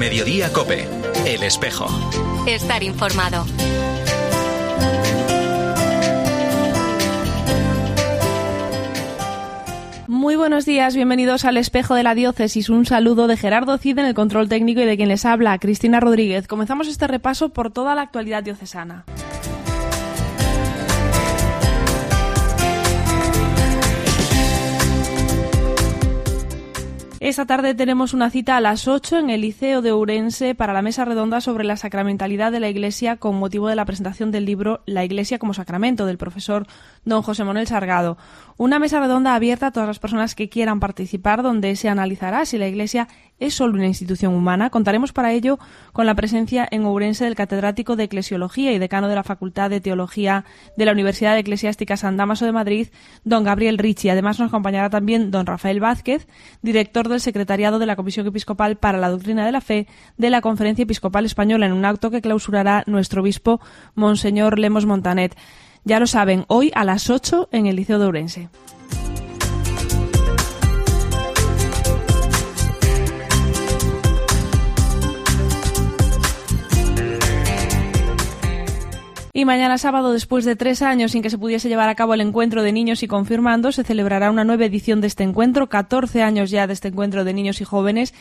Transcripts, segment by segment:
Mediodía COPE. El Espejo. Estar informado. Muy buenos días, bienvenidos al Espejo de la Diócesis. Un saludo de Gerardo Cid en el control técnico y de quien les habla, Cristina Rodríguez. Comenzamos este repaso por toda la actualidad diocesana. Esta tarde tenemos una cita a las 8 en el Liceo de Ourense para la mesa redonda sobre la sacramentalidad de la Iglesia con motivo de la presentación del libro La Iglesia como Sacramento del profesor don José Manuel Sargado. Una mesa redonda abierta a todas las personas que quieran participar, donde se analizará si la Iglesia es solo una institución humana. Contaremos para ello con la presencia en Ourense del catedrático de Eclesiología y decano de la Facultad de Teología de la Universidad Eclesiástica San Dámaso de Madrid, don Gabriel Ricci. Además nos acompañará también don Rafael Vázquez, director del Secretariado de la Comisión Episcopal para la Doctrina de la Fe de la Conferencia Episcopal Española, en un acto que clausurará nuestro obispo, Monseñor Lemos Montanet. Ya lo saben, hoy a las 8 en el Liceo de Ourense. Y mañana sábado, después de 3 años sin que se pudiese llevar a cabo el encuentro de niños y confirmandos, se celebrará una nueva edición de este encuentro, 14 años ya de este encuentro de niños y jóvenes,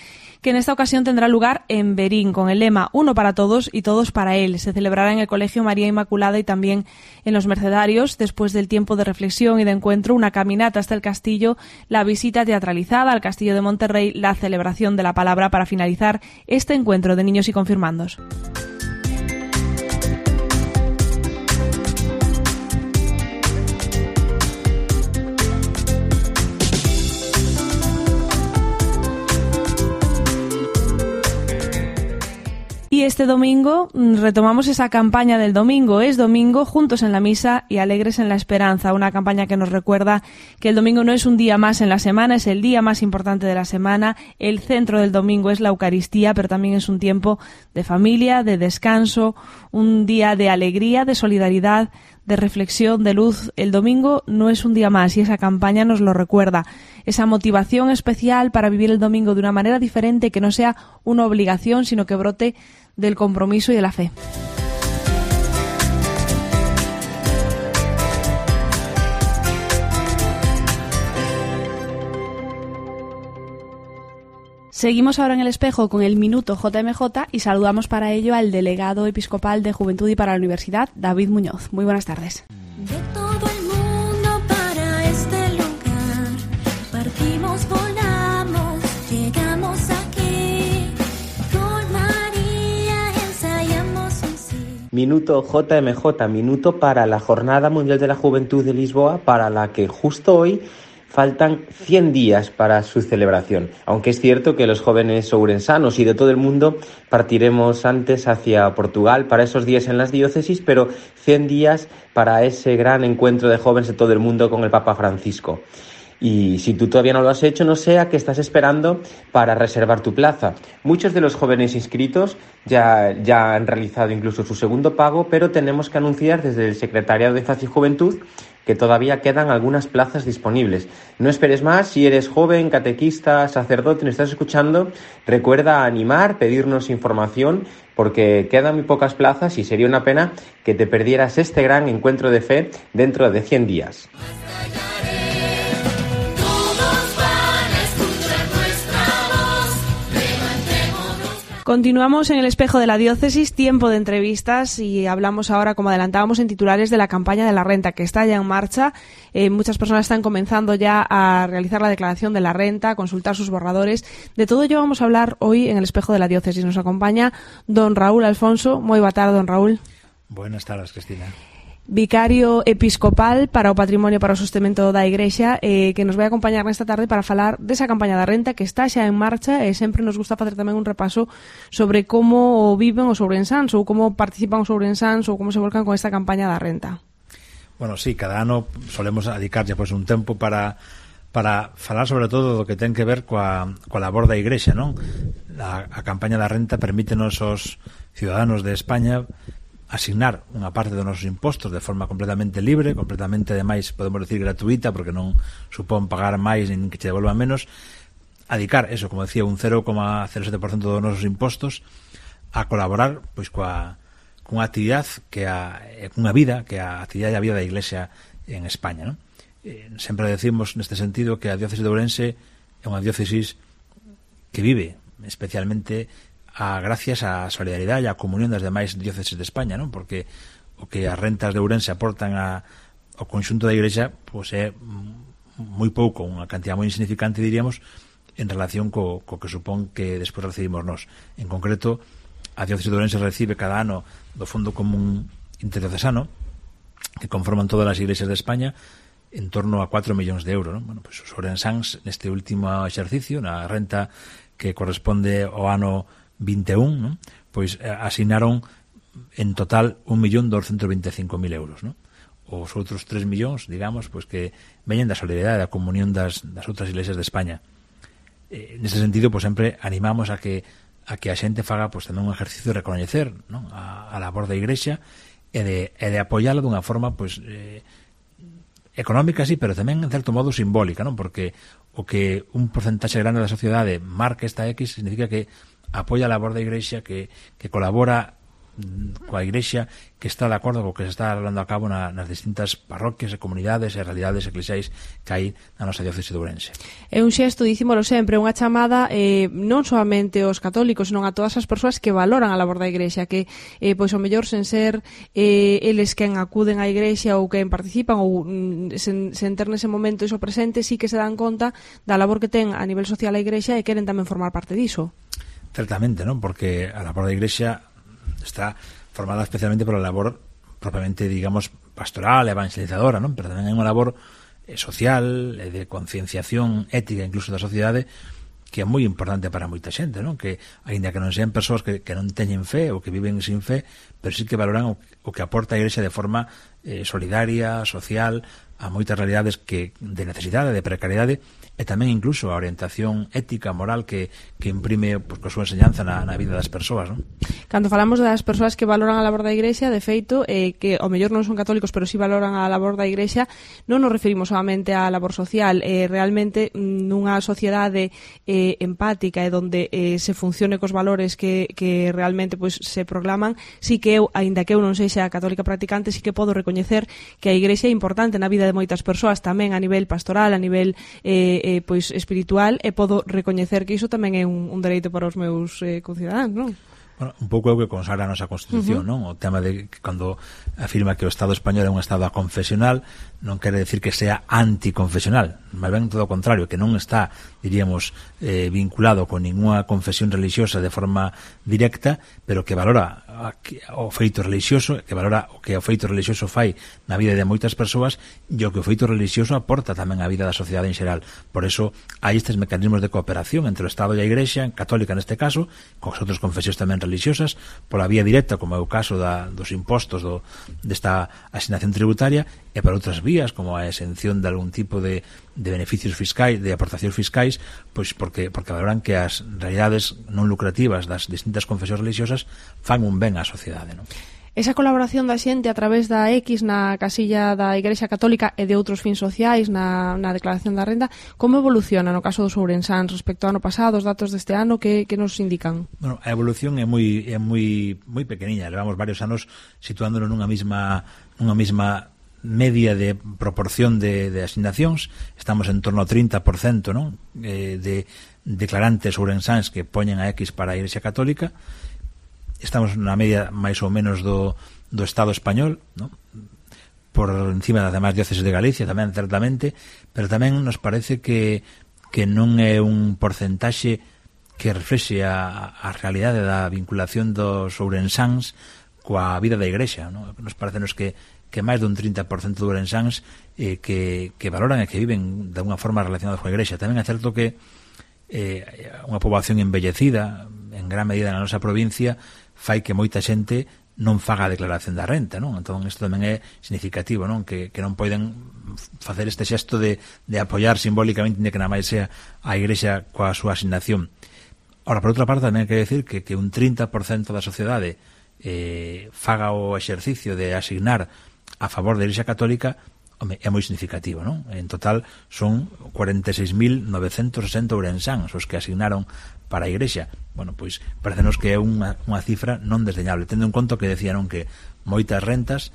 que en esta ocasión tendrá lugar en Berín, con el lema Uno para todos y todos para él. Se celebrará en el Colegio María Inmaculada y también en los Mercedarios. Después del tiempo de reflexión y de encuentro, una caminata hasta el castillo, la visita teatralizada al Castillo de Monterrey, la celebración de la palabra para finalizar este encuentro de niños y confirmandos. Y este domingo retomamos esa campaña del domingo. Es domingo, juntos en la misa y alegres en la esperanza. Una campaña que nos recuerda que el domingo no es un día más en la semana, es el día más importante de la semana. El centro del domingo es la Eucaristía, pero también es un tiempo de familia, de descanso, un día de alegría, de solidaridad, de reflexión, de luz. El domingo no es un día más y esa campaña nos lo recuerda. Esa motivación especial para vivir el domingo de una manera diferente, que no sea una obligación, sino que brote del compromiso y de la fe. Seguimos ahora en el Espejo con el Minuto JMJ y saludamos para ello al delegado episcopal de Juventud y para la Universidad, David Muñoz. Muy buenas tardes. De todo el mundo para este lugar, partimos, volamos, llegamos aquí, con María ensayamos un sí. Minuto JMJ, minuto para la Jornada Mundial de la Juventud de Lisboa, para la que justo hoy faltan 100 días para su celebración, aunque es cierto que los jóvenes ourensanos y de todo el mundo partiremos antes hacia Portugal para esos días en las diócesis, pero 100 días para ese gran encuentro de jóvenes de todo el mundo con el Papa Francisco. Y si tú todavía no lo has hecho, no sé a qué estás esperando para reservar tu plaza. Muchos de los jóvenes inscritos ya han realizado incluso su segundo pago, pero tenemos que anunciar desde el Secretariado de Infancia y Juventud que todavía quedan algunas plazas disponibles. No esperes más, si eres joven, catequista, sacerdote, nos estás escuchando, recuerda animar, pedirnos información, porque quedan muy pocas plazas y sería una pena que te perdieras este gran encuentro de fe dentro de 100 días. Continuamos en el Espejo de la Diócesis, tiempo de entrevistas, y hablamos ahora, como adelantábamos en titulares, de la campaña de la renta, que está ya en marcha. Muchas personas están comenzando ya a realizar la declaración de la renta, a consultar sus borradores. De todo ello vamos a hablar hoy en el Espejo de la Diócesis. Nos acompaña don Raúl Alfonso. Muy boa tarde, don Raúl. Buenas tardes, Cristina. Vicario episcopal para o patrimonio para o sostemento da Igrexa, que nos vai acompañar nesta tarde para falar desa campaña da renta que está xa en marcha, e sempre nos gusta facer tamén un repaso sobre como viven os ourensáns ou como participan os ourensáns ou como se volcan con esta campaña da renta. Bueno, sí, cada ano solemos dedicarlle pues, un tempo para falar sobre todo do que ten que ver coa labor da Igrexa, non? A campaña da renta permítenos aos ciudadanos de España asignar unha parte dos nosos impostos de forma completamente libre, completamente, ademais, podemos decir gratuita, porque non supón pagar máis nin que che devolvan menos, adicar eso, como decía, un 0,07% dos nosos impostos a colaborar pois cunha actividade cunha vida que a actividade e a vida da Iglesia en España, non? Sempre decimos neste sentido que a diócesis de Ourense é unha diócesis que vive especialmente gracias á solidaridade e á comunión das demais diócesis de España, non? Porque o que as rentas de Ourense aportan ao conxunto da Iglesia pois é moi pouco, unha cantidad moi insignificante, diríamos, en relación co que supón que despois recibimos nós. En concreto, a diócesis de Ourense recibe cada ano do Fondo Común Interdiocesano, que conforman todas as iglesias de España, en torno a 4 millóns de euros, non? Bueno, pues os ourensáns neste último exercicio, na renta que corresponde ao ano 21, non? Pois asignaron en total 1.225.000 euros, non? Os outros 3 millóns, digamos, pois que veñen da solidaridade, da comunión das outras iglesias de España. Nese sentido, pois sempre animamos a que a xente faga pois tamén un exercicio de recoñecer, non? a labor da Igrexa e de apoiala dunha forma pois económica, sí, pero tamén en certo modo simbólica, non? Porque o que un porcentaxe grande da sociedade marque esta X significa que apoia a labor da Igrexa, que colabora coa Igrexa, que está de acordo co que se está levando a cabo nas distintas parroquias e comunidades e realidades eclesiais que hai na nosa diócese de Ourense. É un xesto, dicímolo sempre, unha chamada non solamente aos católicos, senón a todas as persoas que valoran a labor da Igrexa, que pois ao mellor sen ser eles quen acuden á Igrexa ou quen participan ou sen ter nese momento iso presente, sí que se dan conta da labor que ten a nivel social a Igrexa e queren tamén formar parte diso. Certamente, non? Porque a labor da Igrexa está formada especialmente por a labor propiamente, digamos, pastoral, evangelizadora, non? Pero tamén hai unha labor social, de concienciación ética incluso da sociedade, que é moi importante para moita xente, non? Que, aínda que non sean persoas que non teñen fe ou que viven sin fe, pero sí que valoran o que aporta a Igrexa de forma solidaria, social, a moitas realidades de necesidade, de precariedade, e tamén incluso a orientación ética, moral que imprime pois, coa súa enseñanza na vida das persoas, non? Cando falamos das persoas que valoran a labor da Igrexa, de feito, que ao mellor non son católicos, pero sí valoran a labor da Igrexa, non nos referimos solamente á labor social, realmente nunha sociedade empática e donde se funcione cos valores que realmente pois, se proclaman, sí que eu, aínda que eu non sexa católica practicante, sí que podo recoñecer que a Igrexa é importante na vida de moitas persoas, tamén a nivel pastoral, a nivel pois espiritual, e podo recoñecer que iso tamén é un dereito para os meus concidadáns, non? Bueno, un pouco é o que consagra a nosa Constitución, non? O tema de que cando afirma que o Estado español é un Estado aconfesional, non quere decir que sea anticonfesional, máis ben todo o contrario, que non está, diríamos, vinculado con ninguna confesión religiosa de forma directa, pero que valora o feito religioso, que valora o que o feito religioso fai na vida de moitas persoas e o que o feito religioso aporta tamén á vida da sociedade en xeral. Por eso hai estes mecanismos de cooperación entre o Estado e a Igrexa, católica neste caso, con as outras confesións tamén religiosas, pola vía directa, como é o caso dos impostos desta asignación tributaria, e por outras vías, como a exención de algún tipo de beneficios fiscais, de aportacións fiscais, pois porque valoran que as realidades non lucrativas das distintas confesións religiosas fan un ben á sociedade, non? Esa colaboración da xente a través da X na casilla da Igrexa Católica e de outros fins sociais na declaración da renda, como evoluciona no caso dos ourensáns respecto ao ano pasado, os datos deste ano que nos indican? Bueno, a evolución é moi pequeniña, levamos varios anos situándonos nunha mesma media de proporción de asignacións, estamos en torno ao 30%, non? De declarantes ourensáns que poñen a X para a Igrexa Católica. Estamos na media máis ou menos do Estado español, non? Por encima das demais dióceses de Galicia tamén, certamente, pero tamén nos parece que non é un porcentaxe que reflexe a realidade da vinculación dos ourensáns coa vida da Igrexa, non? Nos parece que máis dun 30% de ourensáns que valoran e que viven de unha forma relacionada coa Igrexa. Tamén é certo que unha poboación envellecida en gran medida na nosa provincia fai que moita xente non faga a declaración da renta, non? Entón isto tamén é significativo, non? Que non poden facer este xesto de apoiar simbólicamente que nada máis sea a Igrexa coa súa asignación. Ora, por outra parte, tamén hai que decir que un 30% da sociedade faga o exercicio de asignar a favor da Igrexa Católica, home, é moi significativo, non? En total son 46.960 ourensáns os que asignaron para a Igrexa. Bueno, pois parecenos que é unha cifra non desdeñable, tendo en conta que decían que moitas rentas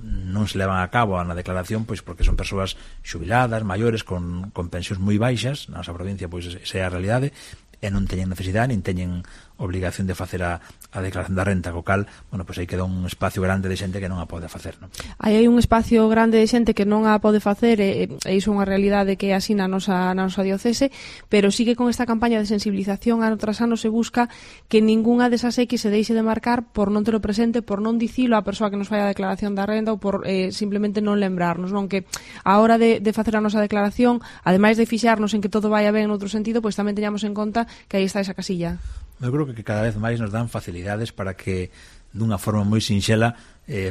non se levan a cabo na declaración pois porque son persoas xubiladas, maiores, con pensións moi baixas. Na nosa provincia pois esa é a realidade, e non teñen necesidade, nin teñen obligación de facer a declaración da renta, co cal, bueno, pois aí queda un espacio grande de xente que non a pode facer, non? Aí hai un espacio grande de xente que non a pode facer, e iso é unha realidade que así na nosa diocese, pero sí que con esta campaña de sensibilización ano tras ano se busca que ningunha desas X se deixe de marcar por non ter o presente, por non dicilo á persoa que nos fai a declaración da renda, ou por simplemente non lembrarnos, non? Que a hora de facer a nosa declaración, ademais de fixarnos en que todo vaya ben noutro sentido, pois tamén teñamos en conta que aí está esa casilla. Eu creo que cada vez máis nos dan facilidades para que dunha forma moi sinxela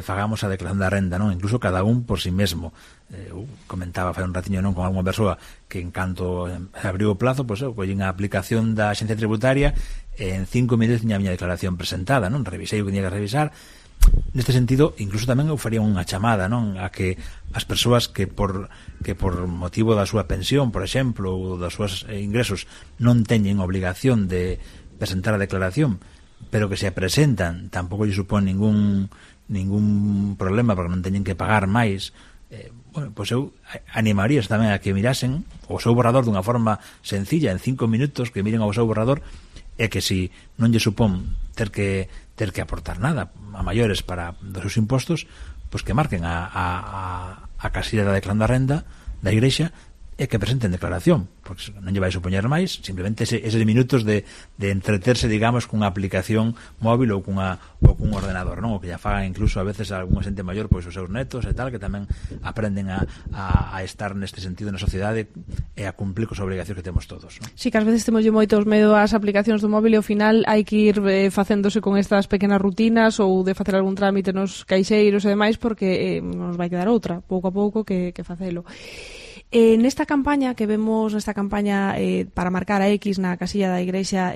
fagamos a declaración da renda, non? Incluso cada un por si mesmo. Eu comentaba fai un ratiño non con alguna persoa que en canto abriu o plazo, pois eu collín a aplicación da Axencia Tributaria e en 5 minutos tiña a miña declaración presentada, non? Revisei o que tiña que revisar. Neste sentido, incluso tamén eu faría unha chamada, non, a que as persoas que por motivo da súa pensión, por exemplo, ou dos seus ingresos non teñen obligación de presentar a declaración, pero que se presentan, tampouco lle supón ningún problema porque non teñen que pagar máis. Bueno, pois eu animarías tamén a que mirasen o seu borrador dunha forma sencilla, en 5 minutos, que miren ao seu borrador, e que si non lle supón ter que aportar nada a maiores para dos seus impostos, pois que marquen a casilla da declaración da renda da Igrexa e que presenten declaración, porque non lle vai supoñer máis, simplemente eses minutos de entreterse, digamos, cunha aplicación móvil ou cun ordenador, non? O que ya fagan incluso a veces a algunha xente maior, pois os seus netos e tal, que tamén aprenden a estar neste sentido na sociedade e a cumplir cos obrigacións que temos todos, non? Sí, que ás veces temos moitos medo ás aplicacións do móvil e ao final hai que ir facéndose con estas pequenas rutinas ou de facer algún trámite nos caixeiros e demais, porque nos vai quedar outra, pouco a pouco, que facelo. Nesta campaña que vemos, para marcar a X na casilla da Igrexa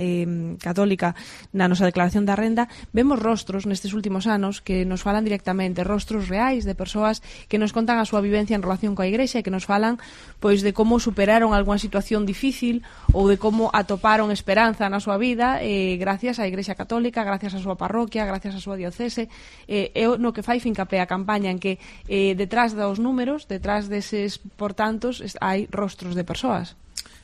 Católica na nosa declaración da renda, vemos rostros nestes últimos anos que nos falan directamente, rostros reais de persoas que nos contan a súa vivencia en relación coa Igrexa e que nos falan pois de como superaron algunha situación difícil ou de como atoparon esperanza na súa vida gracias á Igrexa Católica, gracias á súa parroquia, gracias á súa diocese. É no que fai fincapé a campaña, en que detrás dos números, detrás deses portantos, hai rostros de persoas.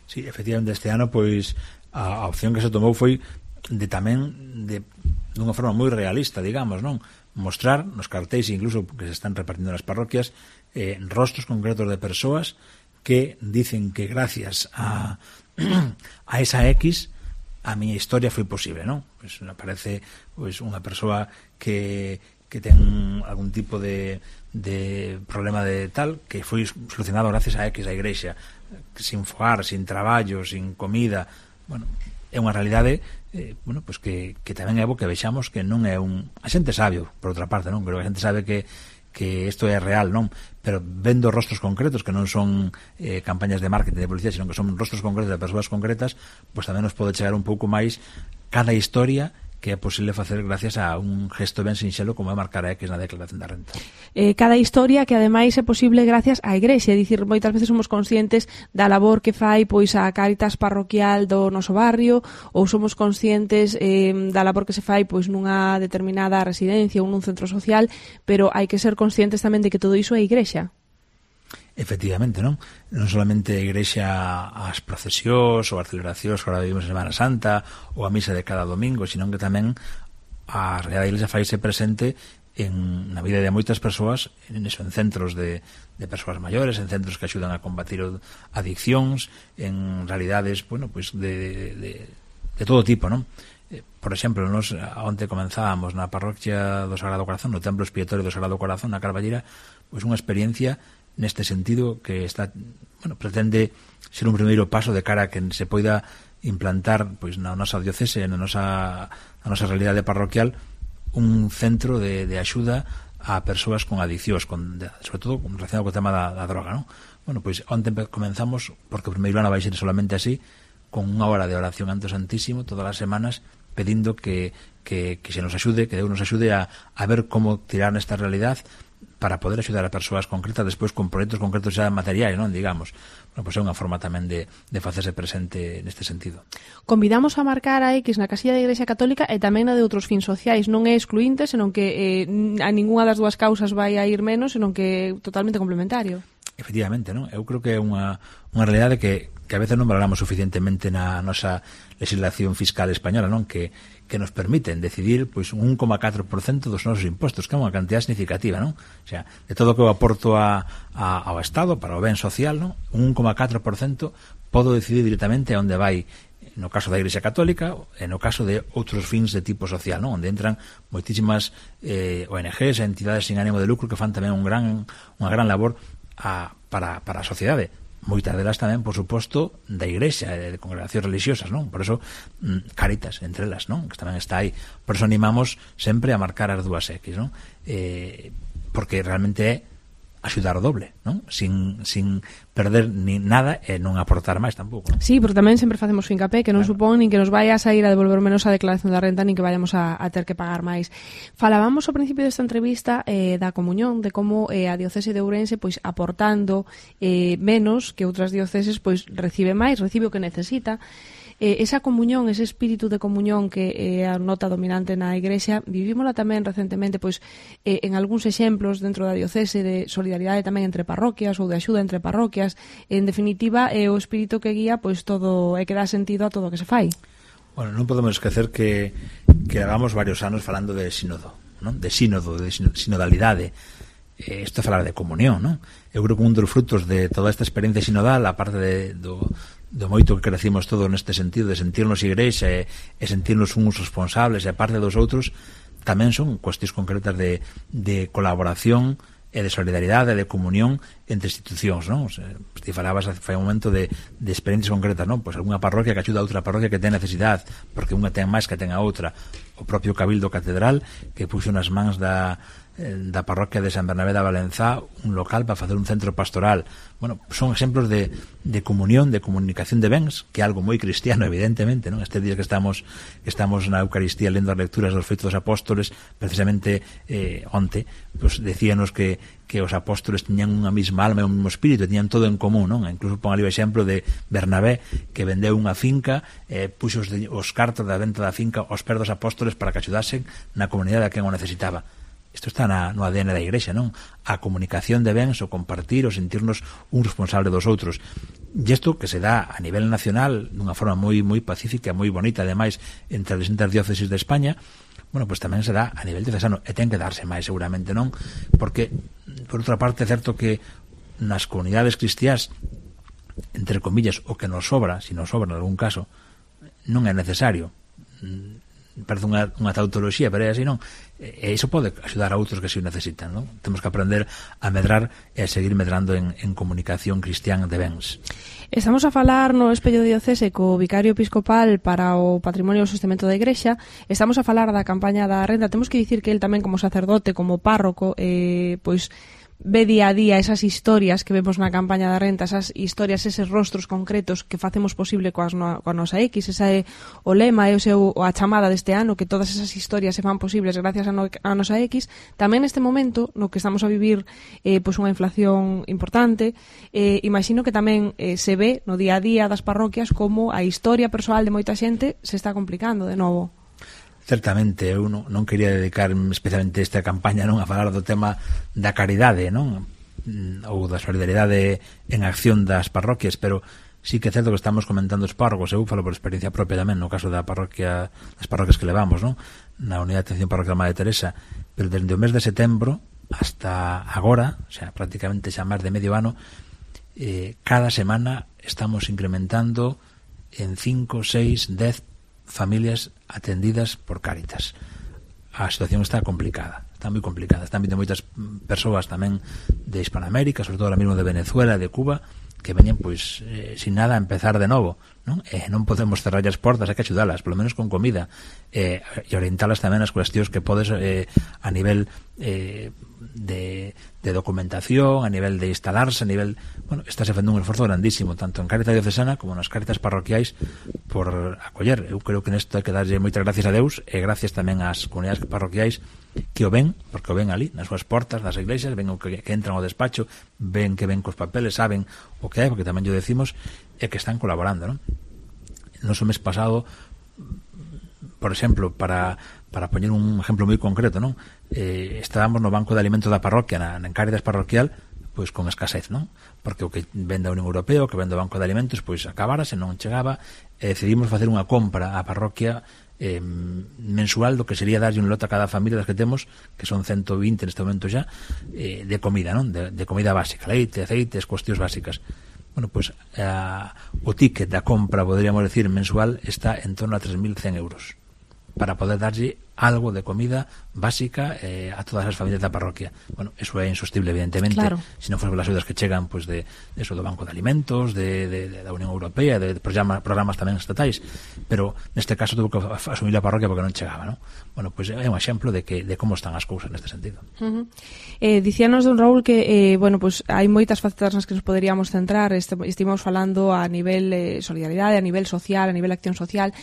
Sí, efectivamente, este ano pois a opción que se tomou foi dunha forma moi realista, digamos, non? Mostrar nos cartéis, incluso que se están repartindo nas parroquias, rostros concretos de persoas que dicen que gracias a esa X a miña historia foi posible, non? Pois aparece pois unha persoa que ten algún tipo de problema de tal, que foi solucionado gracias a X da Igrexa, sin fogar, sin traballo, sin comida. Bueno, é unha realidade pois que tamén é bo que vexamos que non é a xente sabe, por outra parte, non? Pero a xente sabe que isto é real, non? Pero vendo rostros concretos que non son campañas de marketing, de publicidade, sino que son rostros concretos de persoas concretas, pois tamén nos pode chegar un pouco máis cada historia que é posible facer gracias a un gesto ben sinxelo como é marcar a X na declaración da renta. Cada historia que ademais é posible gracias á Igrexa, é dicir, moitas veces somos conscientes da labor que fai pois a Cáritas parroquial do noso barrio, ou somos conscientes da labor que se fai pois nunha determinada residencia ou nun centro social, pero hai que ser conscientes tamén de que todo iso é Igrexa. Efectivamente, non? Non solamente a Igrexa as procesións ou as celebracións que agora vivimos en Semana Santa ou a misa de cada domingo, sino que tamén a realidade da Iglesia faise presente na vida de moitas persoas, en centros de persoas maiores, en centros que axudan a combatir adiccións, en realidades, bueno, pois de todo tipo, non? Por exemplo, nos onte comenzábamos na parroquia do Sagrado Corazón, no templo expiatorio do Sagrado Corazón na Carballera, pois unha experiencia neste sentido que pretende ser un primeiro paso de cara a que se poida implantar pois na nosa diocese, na nosa realidade parroquial, un centro de axuda a persoas con adiccións, sobre todo relacionado co tema da droga, non? Bueno, pois onte comenzamos, porque o primeiro ano vai ser solamente así, con unha hora de oración ante o Santísimo todas as semanas, pedindo que se nos axude, que Deus nos axude a ver como tirar nesta realidad para poder axudar a persoas concretas despois con proxectos concretos xa materiais, non, digamos. Bueno, pois é unha forma tamén de facerse presente neste sentido. Convidamos a marcar a X na casilla da Igrexa Católica e tamén na de outros fins sociais. Non é excluinte, senón que a ningunha das dúas causas vai a ir menos, senón que é totalmente complementario. Efectivamente, non? Eu creo que é unha realidade que a veces non valoramos suficientemente na nosa legislación fiscal española, non? Que nos permiten decidir pois un 1,4% dos nosos impostos, que é unha cantidad significativa, non? O sea, de todo o que eu aporto ao Estado para o ben social, non? Un 1,4% podo decidir directamente onde vai, no caso da Igrexa Católica e no caso de outros fins de tipo social, non? Onde entran moitísimas ONGs e entidades sin ánimo de lucro que fan tamén unha gran labor para a sociedade. Moitas delas tamén, por suposto, da Igrexa e de congregacións religiosas, non? Por eso, Cáritas, entre elas, non? Que tamén está aí. Por eso animamos sempre a marcar as dúas X, non? Porque realmente é axudar o doble, non? Sin perder ni nada e non aportar máis tampouco, non? Sí, porque tamén sempre facemos fincapé que non supón nin que nos vai a sair a devolver menos a declaración da renta nin que vayamos a ter que pagar máis. Falábamos ao principio desta entrevista da comunión, de como a diocese de Ourense pois aportando menos que outras dioceses pois recibe máis, recibe o que necesita. Esa comunión, ese espírito de comunión que é a nota dominante na Igrexa, vivímola tamén recentemente pois en algúns exemplos dentro da diocese de solidaridade tamén entre parroquias ou de axuda entre parroquias. En definitiva, é o espírito que guía pois todo e que dá sentido a todo o que se fai. Bueno, non podemos esquecer que levamos varios anos falando de sínodo, non? De sinodalidade. Isto é falar de comunión, non? Eu creo que un dos frutos de toda esta experiencia sinodal, a parte do moito que crecimos todo neste sentido de sentirnos igrexa e sentirnos uns responsables e a parte dos outros, tamén son cuestións concretas de colaboración e de solidaridade e de comunión entre institucións, non? Ti falabas fai un momento de experiencias concretas, non? Pois algunha parroquia que axuda a outra parroquia que ten necesidade, porque unha ten máis que ten a outra. O propio Cabildo Catedral que puxo nas mans da parroquia de San Bernabé da Valenzá un local para facer un centro pastoral. Bueno, son exemplos de comunión, de comunicación de bens, que é algo moi cristiano, evidentemente, non? Estes días que estamos na Eucaristía lendo as lecturas dos Feitos dos Apóstoles, precisamente onte, pues decíanos que os apóstoles tiñan unha mesma alma e un mesmo espírito, tiñan todo en común, non? Incluso pon ali o exemplo de Bernabé, que vendeu unha finca, puxo os cartos da venta da finca aos pés dos apóstoles para que axudasen na comunidade a quen o necesitaba. Isto está no ADN da Igrexa, non? A comunicación de bens, o compartir, o sentirnos un responsable dos outros. E isto que se dá a nivel nacional dunha forma moi moi pacífica, moi bonita, ademais, entre as distintas dióceses de España, bueno, pois tamén se dá a nivel diocesano, e ten que darse máis seguramente, non? Porque, por outra parte, é certo que nas comunidades cristiás, entre comillas, o que nos sobra, se nos sobra en algún caso, non é necesario. Parece unha tautoloxía, pero é así, non? E iso pode axudar a outros que se o necesitan, non? Temos que aprender a medrar e a seguir medrando en comunicación cristián de bens. Estamos a falar no Espello Diocese co vicario episcopal para o Patrimonio e o Sostemento da Igrexa. Estamos a falar da campaña da renda. Temos que dicir que el tamén como sacerdote, como párroco, pois ve día a día esas historias que vemos na campaña da renta, esas historias, eses rostros concretos que facemos posible coa nosa X. Esa é o lema, é a chamada deste ano, que todas esas historias se fan posibles gracias a nosa X. Tamén neste momento no que estamos a vivir pois unha inflación importante, imagino que tamén se ve no día a día das parroquias como a historia persoal de moita xente se está complicando de novo. Certamente, eu non quería dedicar especialmente esta campaña non a falar do tema da caridade, non? Ou da solidaridade en acción das parroquias, pero sí que é certo que estamos comentando os párrocos. Eu falo por experiencia propia tamén no caso da parroquia, das parroquias que levamos, non? Na Unidade de Atención Parroquial Madre Teresa, pero desde o mes de setembro hasta agora, o sea, prácticamente xa máis de medio ano, cada semana estamos incrementando en 5, 6, 10 familias atendidas por Cáritas. A situación está complicada, está moi complicada. Están vindo moitas persoas tamén de Hispanoamérica, sobre todo ahora mesmo de Venezuela, de Cuba, que veñen pois sin nada a empezar de novo. non? Non podemos cerrar as portas, hai que axudalas, polo menos con comida, e orientalas tamén as cuestións que podes a nivel de documentación, a nivel de instalarse, a nivel, bueno, está se facendo un esforzo grandísimo, tanto en Cáritas Diocesana como nas Cáritas parroquiais, por acoller. Eu creo que nesto hai que darlle moitas gracias a Deus, e gracias tamén ás comunidades parroquiais que o ven, porque o ven ali, nas súas portas das iglesias, ven o que entran ao despacho, ven que ven cos papeles, saben o que hai, porque tamén yo decimos, e que están colaborando, non? Nos o mes pasado, por exemplo, para poñer un exemplo moi concreto, non? Estábamos no banco de alimentos da parroquia, na Cáritas parroquial, pois con escasez, non? Porque o que vende a Unión Europea, o que vende o banco de alimentos, pois acabárase, non chegaba, e decidimos facer unha compra á parroquia mensual do que sería darlle un lote a cada familia das que temos, que son 120 neste momento xa, de comida, non? De comida básica, leite, aceites, cuestións básicas. Bueno, pois o ticket da compra, poderíamos decir, mensual, está en torno a 3.100 euros para poder darlle algo de comida básica a todas as familias da parroquia. Bueno, eso é insostible, evidentemente, claro. Se non foran as axudas que chegan, pues, de eso, do Banco de Alimentos, da Unión Europea, de programas tamén estatais, pero neste caso tuvo que asumir a parroquia porque non chegaba, non? Bueno, pues é un exemplo de como están as cousas neste sentido. Dicíanos, don Raúl, que bueno, pues hai moitas facetas nas que nos poderíamos centrar. Estivemos falando a nivel solidaridade, a nivel social, a nivel acción social.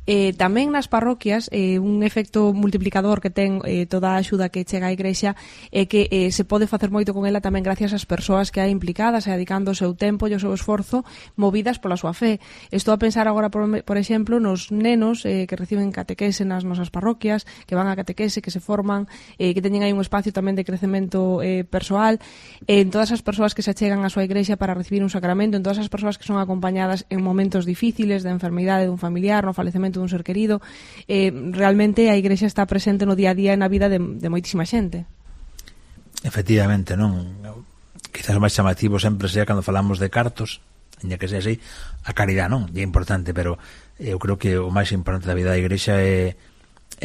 Tamén nas parroquias, un efecto multiplicador que ten toda a axuda que chega á Igrexa é que se pode facer moito con ela tamén gracias ás persoas que hai implicadas e dedicando o seu tempo e o seu esforzo movidas pola súa fe. Estou a pensar agora, por exemplo, nos nenos que reciben catequese nas nosas parroquias, que van a catequese, que se forman, que teñen aí un espacio tamén de crecemento persoal, en todas as persoas que se achegan á súa Igrexa para recibir un sacramento, en todas as persoas que son acompañadas en momentos difíciles de enfermidade dun familiar, no falecemento dun ser querido. Realmente a Igrexa está presente no día a día e na vida de moitísima xente. Efectivamente, non? Quizás o máis chamativo sempre sea cando falamos de cartos, ainda que sea así, a caridade, non? E é importante, pero eu creo que o máis importante da vida da Igrexa é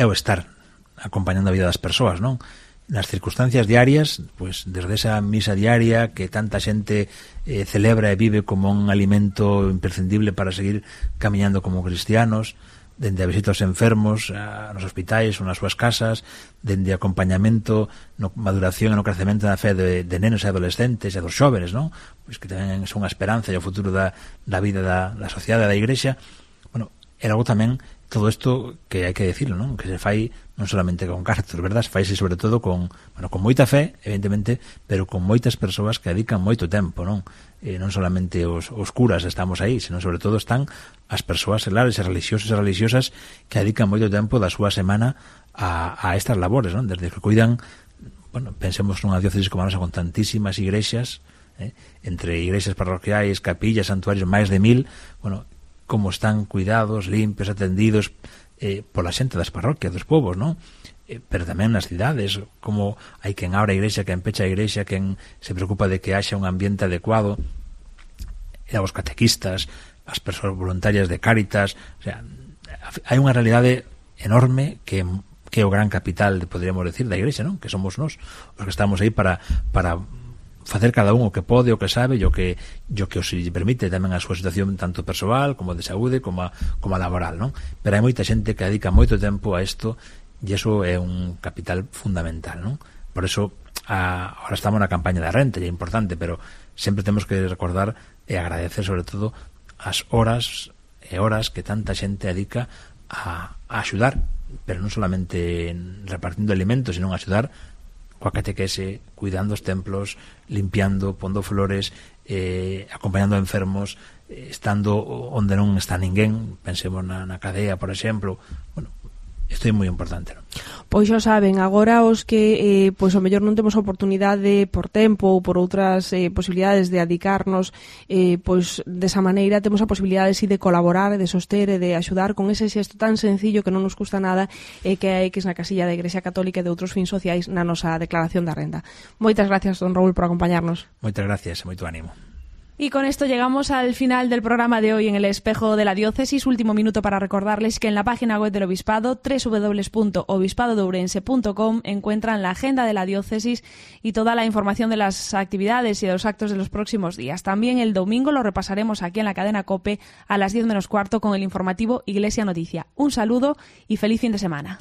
o estar acompañando a vida das persoas, non? Nas circunstancias diarias, pues desde esa misa diaria que tanta xente celebra e vive como un alimento imprescindible para seguir camiñando como cristianos, dende a visita aos enfermos nos hospitais ou nas súas casas, dende acompañamento no maduración e no crecemento da fe de nenos e adolescentes e dos xóvenes, non? Pois que tamén son a esperanza e o futuro da vida da sociedade da Igrexa. Bueno, é algo tamén, todo isto que hai que decirlo, non? Que se fai non solamente con cartos, verdad? Se faise sobre todo con moita fe, evidentemente, pero con moitas persoas que dedican moito tempo, non? Non solamente os curas estamos aí, senón sobre todo están as persoas seglares e religiosas que dedican moito tempo da súa semana a estas labores, non? Desde que cuidan, bueno, pensemos nunha diócesis como a nosa con tantísimas igrexas, entre igrexas parroquiais, capillas, santuarios, máis de 1000, bueno, como están cuidados, limpios, atendidos pola xente das parroquias, dos povos, non? Pero tamén nas cidades, como hai quen abre a igrexa, quen pecha a igrexa, quen se preocupa de que haxa un ambiente adecuado, e os catequistas, as persoas voluntarias de Cáritas, o sea, hai unha realidade enorme que é o gran capital, poderíamos decir, da igrexa, non? Que somos nós, os que estamos aí para facer cada un o que pode, o que sabe e o que os permite tamén a súa situación tanto persoal como de saúde como a laboral, non? Pero hai moita xente que dedica moito tempo a isto e iso é un capital fundamental, non? Por eso ahora estamos na campaña da renta e é importante, pero sempre temos que recordar e agradecer sobre todo as horas e horas que tanta xente dedica a axudar, pero non solamente repartindo alimentos, sino a axudar coa catequese, cuidando os templos, limpiando, pondo flores, acompañando a enfermos, estando onde non está ninguén, pensemos na cadea, por exemplo. Bueno, isto é moi importante, non? Pois xa saben, agora os que pois ao mellor non temos oportunidade por tempo ou por outras posibilidades de adicarnos pois desa maneira, temos a posibilidade de colaborar, de soster e de axudar con ese xesto tan sencillo que non nos custa nada que hai X na casilla da Igrexa Católica e de outros fins sociais na nosa declaración da renda. Moitas gracias, don Raúl, por acompañarnos. Moitas gracias e moito ánimo. Y con esto llegamos al final del programa de hoy en el Espejo de la Diócesis. Último minuto para recordarles que en la página web del Obispado, www.obispado-de-ourense.com, encuentran la agenda de la Diócesis y toda la información de las actividades y de los actos de los próximos días. También el domingo lo repasaremos aquí en la cadena COPE a las 10 menos cuarto con el informativo Iglesia Noticia. Un saludo y feliz fin de semana.